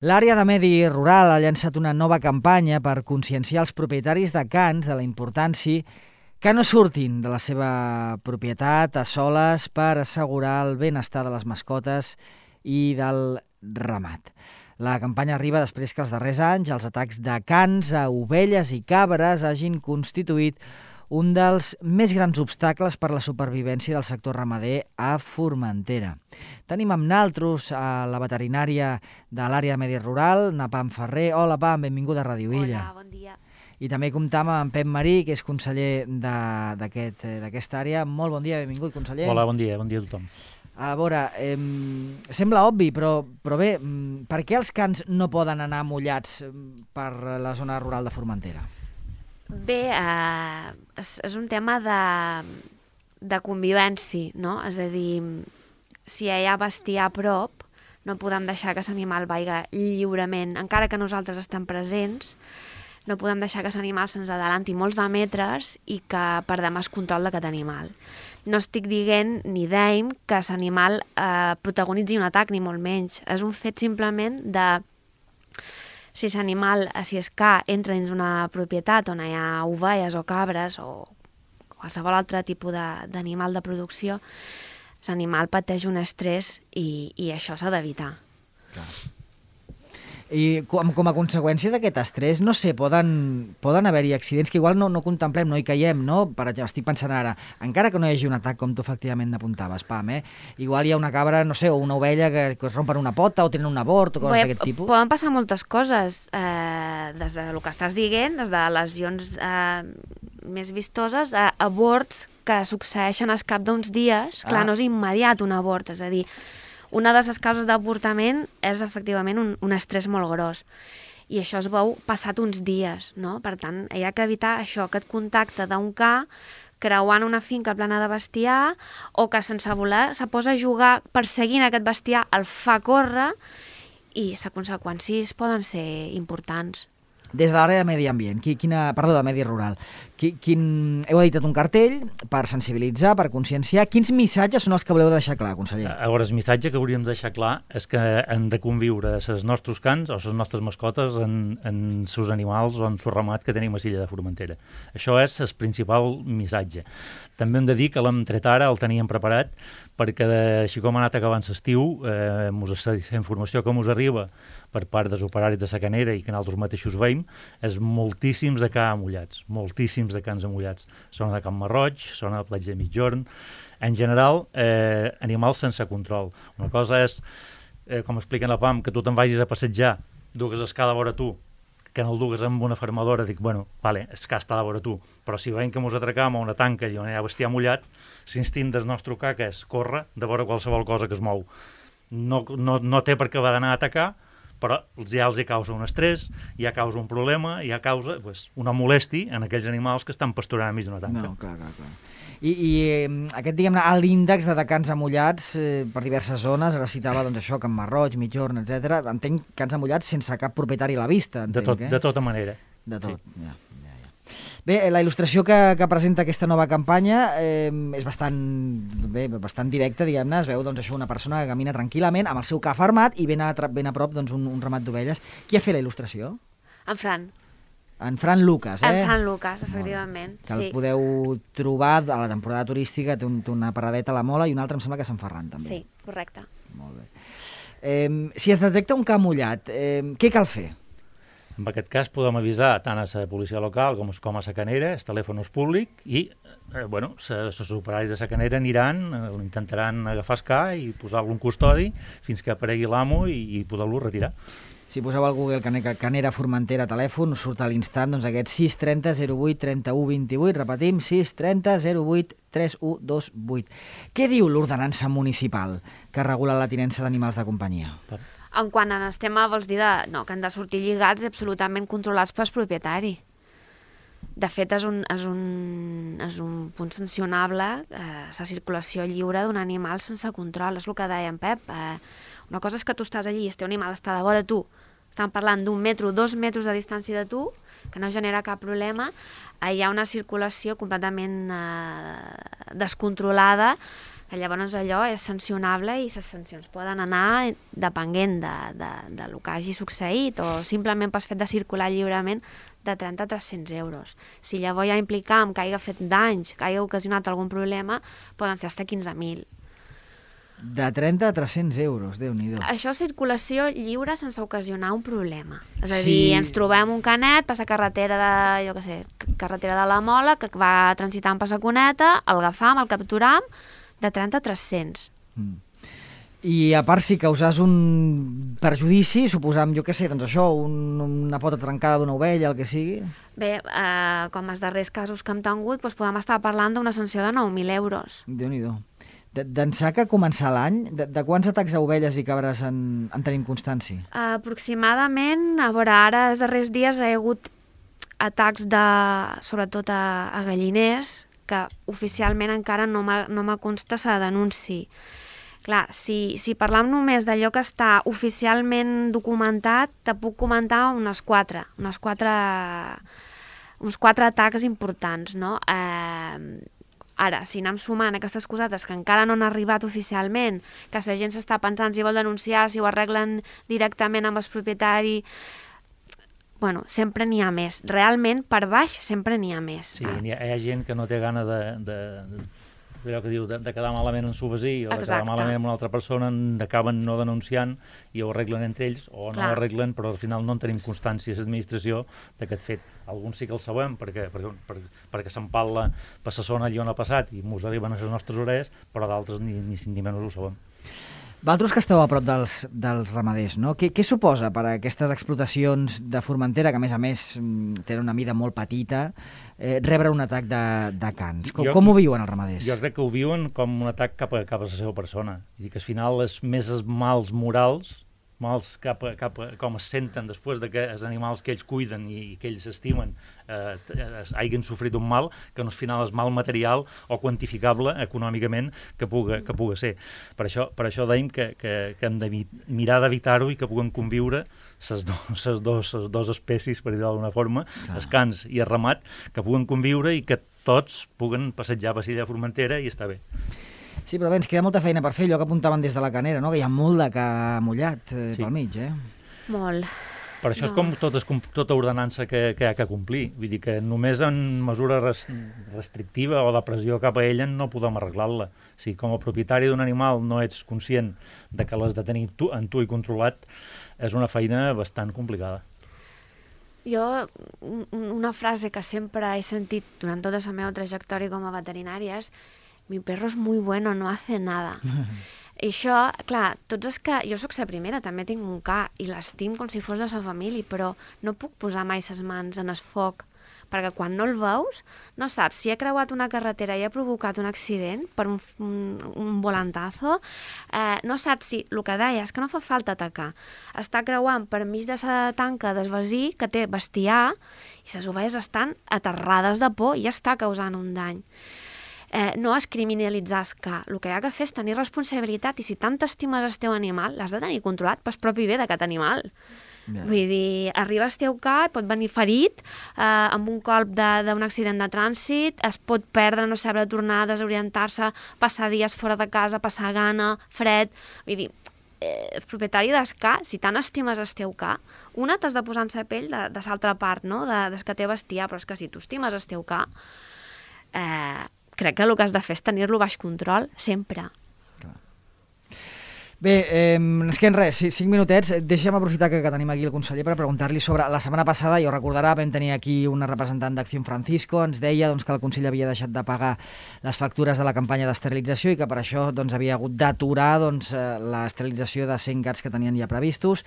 L'àrea de medi rural ha llançat una nova campanya per conscienciar els propietaris de cans de la importància que no surtin de la seva propietat a soles per assegurar el benestar de les mascotes i del ramat. La campanya arriba després que els darrers anys els atacs de cans a ovelles i cabres hagin constituït un dels més grans obstacles per la supervivència del sector ramader a Formentera. Tenim amb naltros a la veterinària de l'àrea de medi rural, na Pam Ferrer. Hola, Pam, benvinguda a Ràdio Illa. Hola, bon dia. I també comptam amb Pep Marí, que és conseller d'aquesta àrea. Molt bon dia, benvingut, conseller. Hola, bon dia a tothom. A veure, sembla obvi, però bé, per què els cans no poden anar mullats per la zona rural de Formentera? Bé, és un tema de convivència, no? És a dir, si hi ha bestiar a prop, no podem deixar que aquest animal vagi lliurement. Encara que nosaltres estem presents, no podem deixar que aquest animal se'ns adelanti molts de metres i que perdem el control d'aquest animal. No estic dient ni deim que aquest animal protagonitzi un atac, ni molt menys. És un fet simplement de... Si és que entra dins una propietat on hi ha ovelles o cabres o qualsevol altre tipus d'animal de producció, l'animal pateix un estrès i això s'ha d'evitar. Clar. I com a conseqüència d'aquest estrès, no sé, poden haver-hi accidents que igual no contemplem, no hi caiem, no? Per exemple, estic pensant ara, encara que no hi hagi un atac, com tu efectivament apuntaves, Pam, igual hi ha una cabra, no sé, o una ovella que es rompen una pota o tenen un abort o coses d'aquest tipus. Poden passar moltes coses, des del que estàs dient, des de lesions més vistoses, a aborts que succeeixen al cap d'uns dies. Clar, no és immediat un abort, és a dir, una de les causes d'avortament és efectivament un estrès molt gros i això es veu passat uns dies, no? Per tant, hi ha que evitar això, aquest contacte d'un ca creuant una finca plena de bestiar o que sense voler se posa a jugar perseguint aquest bestiar, el fa córrer i les conseqüències poden ser importants. Des de l'àrea de medi ambient, de medi rural, heu editat un cartell per sensibilitzar, per conscienciar. Quins missatges són els que voleu deixar clar, conseller? A veure, el missatge que hauríem de deixar clar és que han de conviure els nostres cans o les nostres mascotes en seus animals o en el ramat que tenim a l'illa de Formentera. Això és el principal missatge. També hem de dir que l'hem tret ara, el teníem preparat, perquè així com ha anat acabant l'estiu, la informació que ens arriba per part dels operaris de la canera i que nosaltres mateixos veiem, és moltíssims de cans amullats, moltíssims de cans amullats. Són de Can Marroig, són a la platja de Migjorn. En general, animals sense control. Una cosa és, com expliquen la PAM, que tu te'n vagis a passejar, dugues el ca de vora tu, que no el dugues amb una fermadora, dic, bueno, vale, el ca està de vora tu, però si veiem que mos atracam a una tanca i on hi ha bestiar mullat, l'instint del nostre ca que és córrer de vora qualsevol cosa que es mou. No té per què va d'anar a atacar, però ja els hi causa un estrès, ja causa un problema, ja causa una molèstia en aquells animals que estan pasturant a mig d'una tanca. No, clar. I aquest, diguem-ne, l'índex de cans amullats per diverses zones, ara citava doncs això, Can Marroig, Migjorn, etc. Entenc cans amullats sense cap propietari a la vista, entenc, de tota manera. De tot, sí. Ja. Bé, la il·lustració que presenta aquesta nova campanya és bastant directa, diguem-ne. Es veu doncs, això, una persona que camina tranquil·lament amb el seu ca fermat i ben a prop doncs, un ramat d'ovelles. Qui ha fet la il·lustració? En Fran. En Fran Lucas, En Fran Lucas, efectivament. Que el podeu trobar a la temporada turística, té una paradeta a la Mola i una altra em sembla que a Sant Ferran, també. Sí, correcte. Molt bé. Si es detecta un ca mullat, què cal fer? En aquest cas podem avisar tant a la policia local com a la canera, el telèfon és públic i els operaris de la canera aniran, intentaran agafar el ca i posar-lo en custodi fins que aparegui l'amo i poder-lo retirar. Si poseu al Google Canera Formentera telèfon, us surt a l'instant doncs, aquest 630 08 31 28, repetim, 630 08 31 28. Què diu l'ordenança municipal que regula la tinença d'animals de companyia? En quant al tema, vols dir que han de sortir lligats i absolutament controlats pel propietari. De fet, és un punt sancionable la circulació lliure d'un animal sense control. És el que deia en Pep. Una cosa és que tu estàs allí i el teu animal està de vora tu. Estan parlant d'1 metre, 2 metres de distància de tu, que no genera cap problema. Hi ha una circulació completament descontrolada Llavors allò és sancionable i les sancions poden anar depenent de lo que hagi succeït o simplement pel fet de circular lliurement de 30 a 300 euros. Si llavors ja implicam que hagi fet danys, que hagi ocasionat algun problema, poden ser fins a 15.000. De 30 a 300 euros, Déu-n'hi-do. Això és circulació lliure sense ocasionar un problema. És a dir, ens trobem un canet, passa carretera de, jo què sé, carretera de la Mola, que va transitant per la Cuneta, el agafam, el capturam, de 30 a 300. I a part, si causàs un perjudici, suposam, jo què sé, doncs això, una pota trencada d'una ovella, el que sigui... Bé, com els darrers casos que hem tingut, doncs podem estar parlant d'una sanció de 9.000 euros. Déu-n'hi-do. D'ençà que començar l'any, de quants atacs a ovelles i cabres en tenim constància? Aproximadament, a veure, ara els darrers dies hi ha hagut atacs sobretot a galliners, que oficialment encara no me consta la denunci. Clar, si parlam només d'allò que està oficialment documentat, te puc comentar uns quatre atacs importants, no? Ara, si anem sumant aquestes cosetes que encara no han arribat oficialment, que la gent s'està pensant si vol denunciar, si ho arreglen directament amb el propietari, bueno, sempre n'hi ha més. Realment, per baix, sempre n'hi ha més. Sí, hi ha gent que no té gana allò que diu, de quedar malament en su veí o de quedar malament amb una altra persona, acaben no denunciant i ho arreglen entre ells o no ho arreglen, però al final no en tenim constància a l'administració d'aquest fet. Alguns sí que el sabem perquè s'empal·la per la zona allà on ha passat i mos arriben a les nostres orelles, però d'altres ni menys ho sabem. Vosaltres que esteu a prop dels ramaders, no? Què suposa per a aquestes explotacions de Formentera, que a més tenen una mida molt petita, rebre un atac de cans? Com ho viuen els ramaders? Jo crec que ho viuen com un atac cap a la seva persona. I que al final és més els mals morals, mals cap com es senten després de que els animals que ells cuiden i que ells estimen hagin sofrit un mal, que no al final és mal material o quantificable econòmicament que puga ser. Per això dèiem que hem de mirar d'evitar-ho i que puguen conviure les dues espècies, per dir d'alguna forma, els cans i el ramat, que puguen conviure i que tots puguen passejar per l'illa de Formentera i està bé. Sí, però bé, ens queda molta feina per fer, allò que apuntaven des de la Canera, no? Que hi ha molt de ca mullat pel mig, Molt. Per això és com tota ordenança que hi ha que complir. Vull dir que només en mesura restrictiva o de pressió cap a ella no podem arreglar-la. Si com a propietari d'un animal no ets conscient de que l'has de tenir en tu i controlat, és una feina bastant complicada. Jo, una frase que sempre he sentit durant tota la meva trajectòria com a veterinària és: mi perro es muy bueno, no hace nada. I això, clar, tots els que... Jo sóc la primera, també tinc un ca i l'estim com si fos de la família, però no puc posar mai les mans en el foc, perquè quan no el veus, no saps si ha creuat una carretera i ha provocat un accident per un volantazo, no saps si... El que deia és que no fa falta atacar. Està creuant per mig de la tanca del veí que té bestiar i les ovelles estan aterrades de por i ja està causant un dany. No és criminalitzar el ca. El que hi ha que fer és tenir responsabilitat i si tant estimes el teu animal, l'has de tenir controlat pel propi bé d'aquest animal. Yeah. Vull dir, arriba el teu ca, pot venir ferit amb un colp d'un accident de trànsit, es pot perdre, no saber tornar, desorientar-se, passar dies fora de casa, passar gana, fred... Vull dir, el propietari del ca, si tant estimes el teu ca, t'has de posar en la pell de l'altra part, no? Des que té bestiar, però és que si tu estimes el teu ca, crec que el que has de fer és tenir-lo baix control, sempre. Bé, ens queden res, 5 minutets. Deixa'm aprofitar que tenim aquí el conseller per preguntar-li sobre... La setmana passada, ja ho recordarà, vam tenir aquí una representant d'Acció Francisco, ens deia que el Consell havia deixat de pagar les factures de la campanya d'esterilització i que per això havia hagut d'aturar l'esterilització de 100 gats que tenien ja previstos.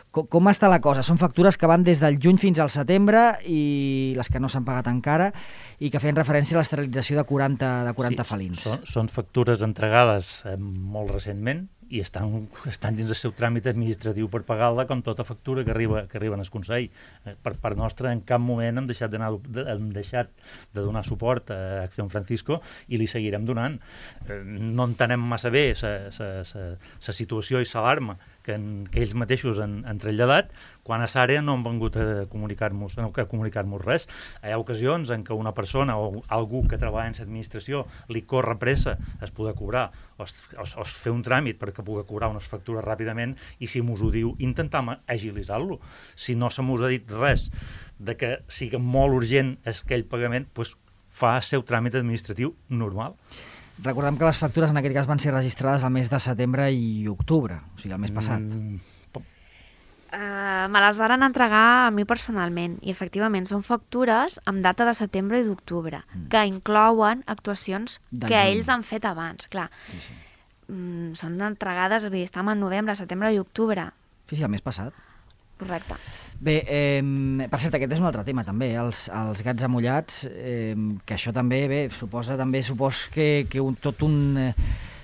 Com està la cosa? Són factures que van des del juny fins al setembre i les que no s'han pagat encara i que feien referència a l'esterilització de 40 felins. Són factures entregades molt recentment i estan dins del seu tràmit administratiu per pagar-la com tota factura que arriba al Consell. Per part nostra, en cap moment hem deixat de donar suport a Acció Francisco i li seguirem donant. No entenem massa bé la situació i l'alarma que ells mateixos han traslladat, quan a l'àrea no han vengut a comunicar-nos res. Hi ha ocasions en què una persona o algú que treballa en l'administració li corre pressa es poder cobrar o fer un tràmit perquè pugui cobrar unes factures ràpidament, i si mos ho diu, intentam agilitzar-lo. Si no se mos ha dit res de que sigui molt urgent aquell pagament, doncs fa el seu tràmit administratiu normal. Recordem que les factures en aquest cas van ser registrades al mes de setembre i octubre, o sigui, el mes passat. Me les varen entregar a mi personalment i efectivament són factures amb data de setembre i d'octubre que inclouen actuacions que ells han fet abans, clar. Sí. Són entregades, vull dir, estem en novembre, setembre i octubre. Sí, el mes passat. Correcte. Bé, per cert, aquest és un altre tema també, els gats amullats, que això també, supos que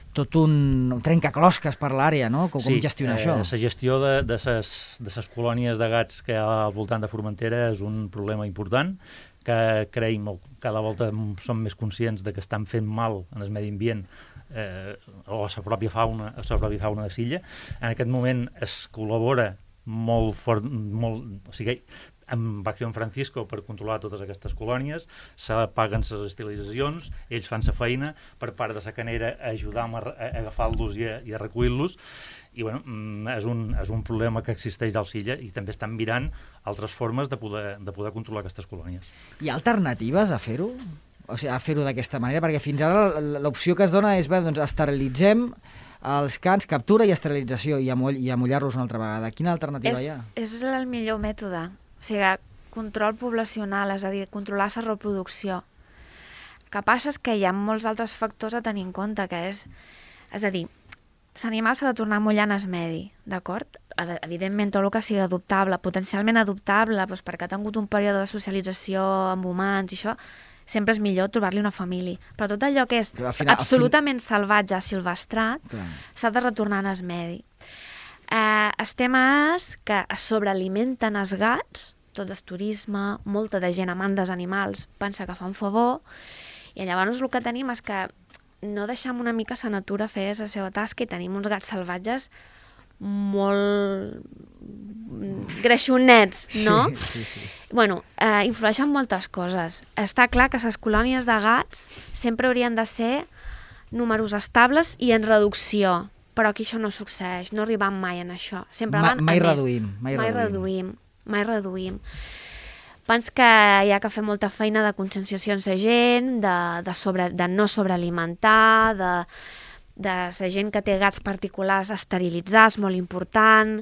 tot un trencaclosques per l'àrea, no? Com gestionar això? Sí, la gestió de les colònies de gats que hi ha al voltant de Formentera és un problema important, que creiem, cada volta som més conscients de que estan fent mal en el medi ambient o a la pròpia fauna de l'illa. En aquest moment es col·labora molt fort, o sigui, amb Acción Francisco per controlar totes aquestes colònies, se paguen les estilitzacions, ells fan la feina, per part de la canera ajudam a agafar-los i a recollir-los, i bueno, és un problema que existeix al Silla, i també estan mirant altres formes de poder controlar aquestes colònies. Hi ha alternatives a fer-ho? O sigui, a fer-ho d'aquesta manera? Perquè fins ara l'opció que es dona és, doncs, esterilitzem els cans, captura i esterilització, i amullar-los una altra vegada. Quina alternativa hi ha? És el millor mètode. O sigui, control poblacional, és a dir, controlar la reproducció. El que passa és que hi ha molts altres factors a tenir en compte, que és a dir, l'animal s'ha de tornar a mullar en el medi, d'acord? Evidentment, tot el que sigui adoptable, potencialment adoptable, doncs perquè ha tingut un període de socialització amb humans i això, sempre és millor trobar-li una família. Però tot allò que és absolutament salvatge, silvestrat, s'ha de retornar en el medi. El tema és que es sobrealimenten els gats, tot el turisme, molta de gent amant dels animals pensa que fa un favor, i llavors el que tenim és que no deixem una mica la natura fer la seva tasca i tenim uns gats salvatges molt greixonets, no? Sí. Bueno, influeixen moltes coses. Està clar que les colònies de gats sempre haurien de ser números estables i en reducció, però aquí això no succeeix, no arribam mai en això. Sempre van mai a reduïm. Mai reduïm. Pens que hi ha que fer molta feina de conscienciació en la gent, de no sobrealimentar, de la gent que té gats particulars esterilitzar, és molt important.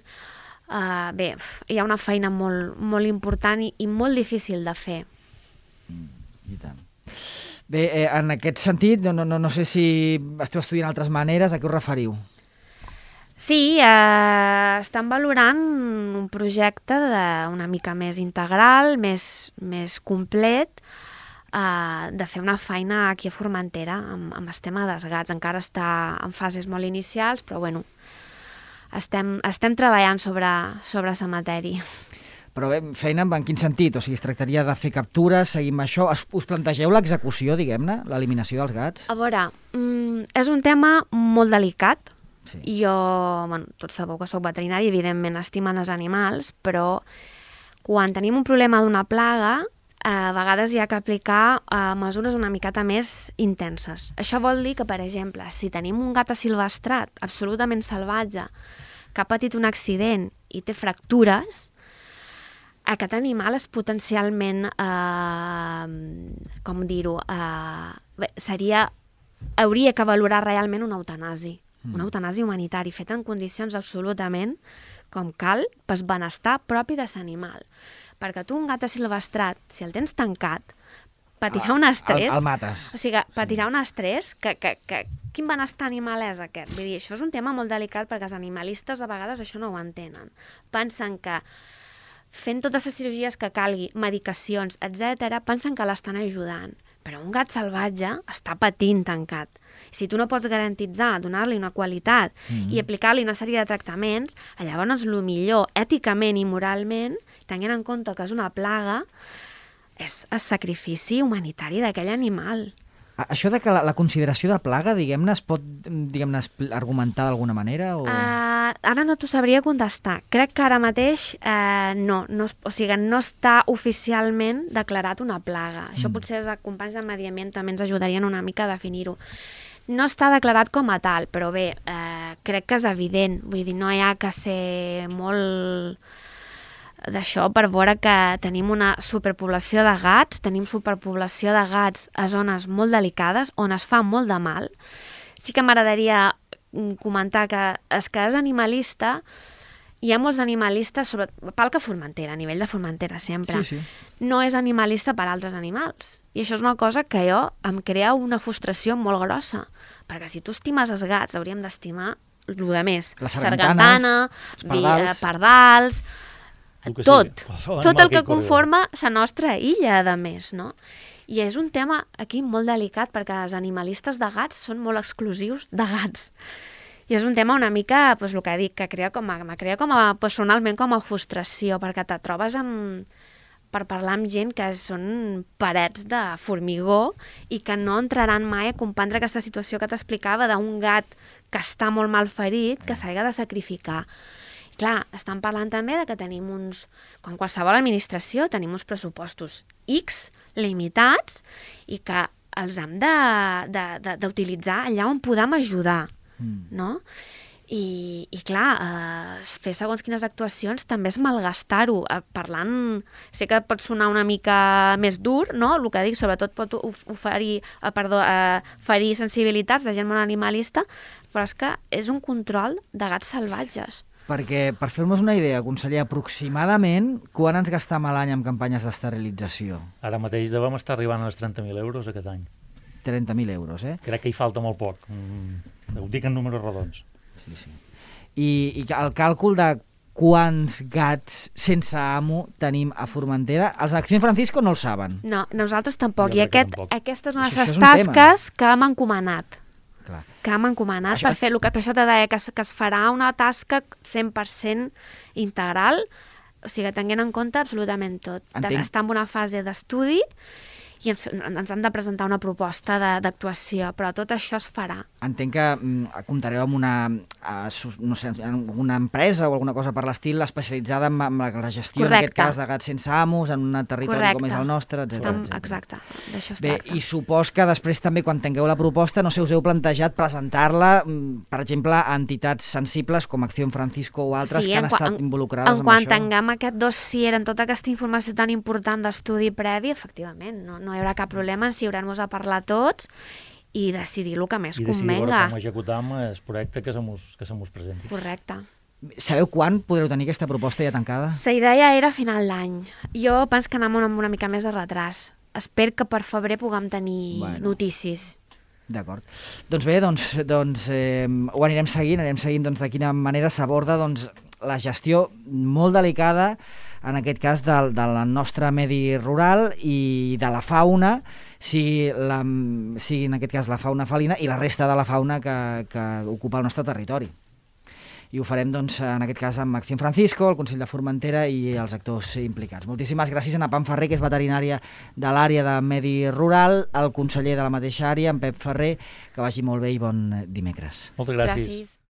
Bé, hi ha una feina molt important i molt difícil de fer. I tant. Bé, en aquest sentit, no sé si esteu estudiant altres maneres, a què us referiu? Sí, estan valorant un projecte una mica més integral, més complet, de fer una feina aquí a Formentera amb el tema dels gats. Encara està en fases molt inicials, però bueno, estem treballant sobre la matèria. Però bé, feina en quin sentit? O sigui, es tractaria de fer captures, seguim això? Us plantegeu l'execució, diguem-ne, l'eliminació dels gats? A veure, és un tema molt delicat. Sí. I jo, tots sabeu que soc veterinari, evidentment estimen els animals, però quan tenim un problema d'una plaga, a vegades hi ha que aplicar mesures una miqueta més intenses. Això vol dir que, per exemple, si tenim un gat asilvestrat absolutament salvatge que ha patit un accident i té fractures, aquest animal és potencialment, com dir-ho, hauria que valorar realment una eutanàsia. Una eutanàsia humanitària feta en condicions absolutament com cal pel benestar propi de l'animal. Perquè tu un gat asilvestrat, si el tens tancat, patirà un estrès... El mates. O sigui, patirà un estrès que quin benestar animal és aquest? Vull dir, això és un tema molt delicat perquè els animalistes a vegades això no ho entenen. Pensen que fent totes les cirurgies que calgui, medicacions, etc., pensen que l'estan ajudant. Però un gat salvatge està patint tancat. Si tu no pots garantitzar, donar-li una qualitat i aplicar-li una sèrie de tractaments, llavors el millor, èticament i moralment, tenint en compte que és una plaga, és el sacrifici humanitari d'aquell animal. Això de que la consideració de plaga, diguem-ne, es pot argumentar d'alguna manera? O... Ara no t'ho sabria contestar. Crec que ara mateix no està oficialment declarat una plaga. Això potser els companys de Medi Ambient també ens ajudarien una mica a definir-ho. No està declarat com a tal, però bé, crec que és evident. Vull dir, no hi ha que ser molt d'això per veure que tenim una superpoblació de gats, tenim superpoblació de gats a zones molt delicades on es fa molt de mal. Sí que m'agradaria comentar que és animalista, hi ha molts animalistes, Palca Formentera, a nivell de Formentera sempre, no és animalista per altres animals. I això és una cosa que em crea una frustració molt grossa, perquè si tu estimes els gats, hauríem d'estimar el de més. La sargantana, pardals, tot el que conforma la nostra illa, a més, no? I és un tema aquí molt delicat perquè els animalistes de gats són molt exclusius de gats. I és un tema una mica, el que dic, que personalment com a frustració, perquè te trobes per parlar amb gent que són parets de formigó i que no entraran mai a comprendre aquesta situació que t'explicava d'un gat que està molt mal ferit, que s'ha de sacrificar. Clar, estan parlant també de que tenim com qualsevol administració, tenim uns pressupostos X limitats i que els hem d'utilitzar allà on podem ajudar, no? I clar, fer segons quines actuacions també és malgastar-ho. Parlant, sé que pot sonar una mica més dur, no? El que dic, sobretot pot ferir sensibilitats de gent molt animalista, però és que és un control de gats salvatges. Perquè, per fer-nos una idea, conseller, aproximadament, quan ens gastam a l'any en campanyes d'esterilització? Ara mateix devem estar arribant als 30.000 euros aquest any. 30.000 euros, eh? Crec que hi falta molt poc. Ho dic en números rodons. Sí. I el càlcul de quants gats sense amo tenim a Formentera, els d'Acció Francisco no el saben. No, nosaltres tampoc. I aquesta és una de les tasques que hem encomanat. Clar. Que hem encomanat per fer el que per això te deia, que es farà una tasca 100% integral, o sigui, tenint en compte absolutament tot. Està en una fase d'estudi i ens han de presentar una proposta d'actuació, però tot això es farà. Entenc que comptareu amb una empresa o alguna cosa per l'estil especialitzada en la gestió, en aquest cas, de gats sense amos, en un territori com és el nostre, etc. Exacte, d'això es tracta. I supos que després també, quan tingueu la proposta, no sé, us heu plantejat presentar-la, per exemple, a entitats sensibles com Acció Francisco o altres que han estat involucrades en això? En quan tinguem aquest dossier, en tota aquesta informació tan important d'estudi previ, efectivament, no hi haurà cap problema en siurar-nos a parlar tots i decidir el que més convenga. I decidir com executar el projecte que se mos presenti. Correcte. Sabeu quan podreu tenir aquesta proposta ja tancada? La idea era a final d'any. Jo penso que anem amb una mica més de retras. Espero que per febrer puguem tenir notícies. D'acord. Doncs bé, ho anirem seguint de quina manera s'aborda la gestió molt delicada, en aquest cas del nostre medi rural i de la fauna, sigui en aquest cas la fauna felina i la resta de la fauna que ocupa el nostre territori. I ho farem, en aquest cas, amb Acció Francisco, el Consell de Formentera i els actors implicats. Moltíssimes gràcies a Pam Ferrer, que és veterinària de l'àrea de medi rural, el conseller de la mateixa àrea, en Pep Ferrer, que vagi molt bé i bon dimecres. Moltes gràcies.